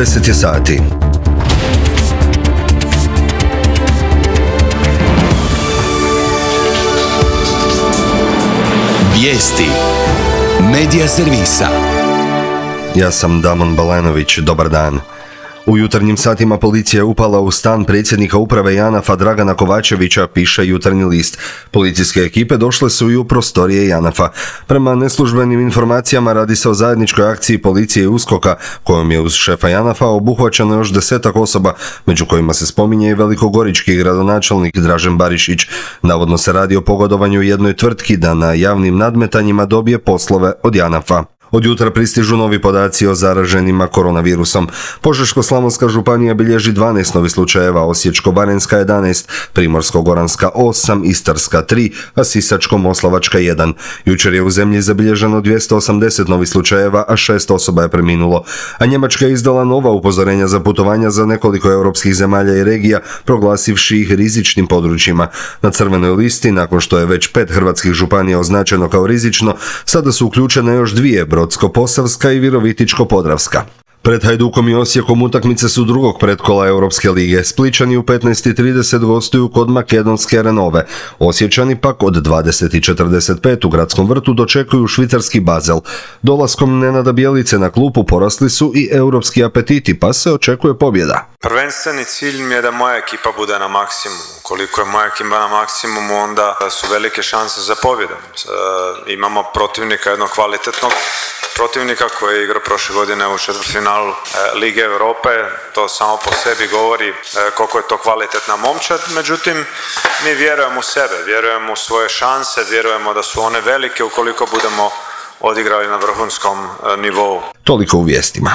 10 je sati. Vijesti Medija servisa. Ja sam Damon Balanović, dobar dan. U jutarnjim satima policija je upala u stan predsjednika uprave JANAF-a Dragana Kovačevića, piše Jutarnji list. Policijske ekipe došle su i u prostorije JANAF-a. Prema neslužbenim informacijama radi se o zajedničkoj akciji policije i USKOK-a, kojom je uz šefa JANAF-a obuhvaćeno još 10 osoba, među kojima se spominje i velikogorički gradonačelnik Dražen Barišić. Navodno se radi o pogodovanju jednoj tvrtki da na javnim nadmetanjima dobije poslove od JANAF-a. Od jutra pristižu novi podaci o zaraženima koronavirusom. Požeško-slavonska županija bilježi 12 novih slučajeva, Osječko-baranjska 11, Primorsko-goranska 8, Istarska 3, a Sisačko-moslavačka 1. Jučer je u zemlji zabilježeno 280 novih slučajeva, a 6 osoba je preminulo. A Njemačka je izdala nova upozorenja za putovanja za nekoliko europskih zemalja i regija, proglasivši ih rizičnim područjima. Na crvenoj listi, nakon što je već 5 hrvatskih županija označeno kao rizično, sada su uključene još dvije, Brodsko-posavska i Virovitičko-podravska. Pred Hajdukom i Osijekom utakmice su drugog pretkola Europske lige. Splićani u 15:30 gostuju kod makedonske Renove. Osječani pak od 20:45 u Gradskom vrtu dočekuju švicarski Basel. Dolaskom Nenada Bjelice na klupu porasli su i europski apetiti, pa se očekuje pobjeda. Prvenstveni cilj mi je da moja ekipa bude na maksimumu. Koliko je moja ekipa na maksimumu, onda su velike šanse za pobjedom. Imamo protivnika, jednog kvalitetnog protivnika koji je igrao prošle godine u četvrtfinalu Lige Europe. To samo po sebi govori koliko je to kvalitetna momčad. Međutim, mi vjerujemo u sebe, vjerujemo u svoje šanse, vjerujemo da su one velike ukoliko budemo odigrali na vrhunskom nivou. Toliko u vijestima.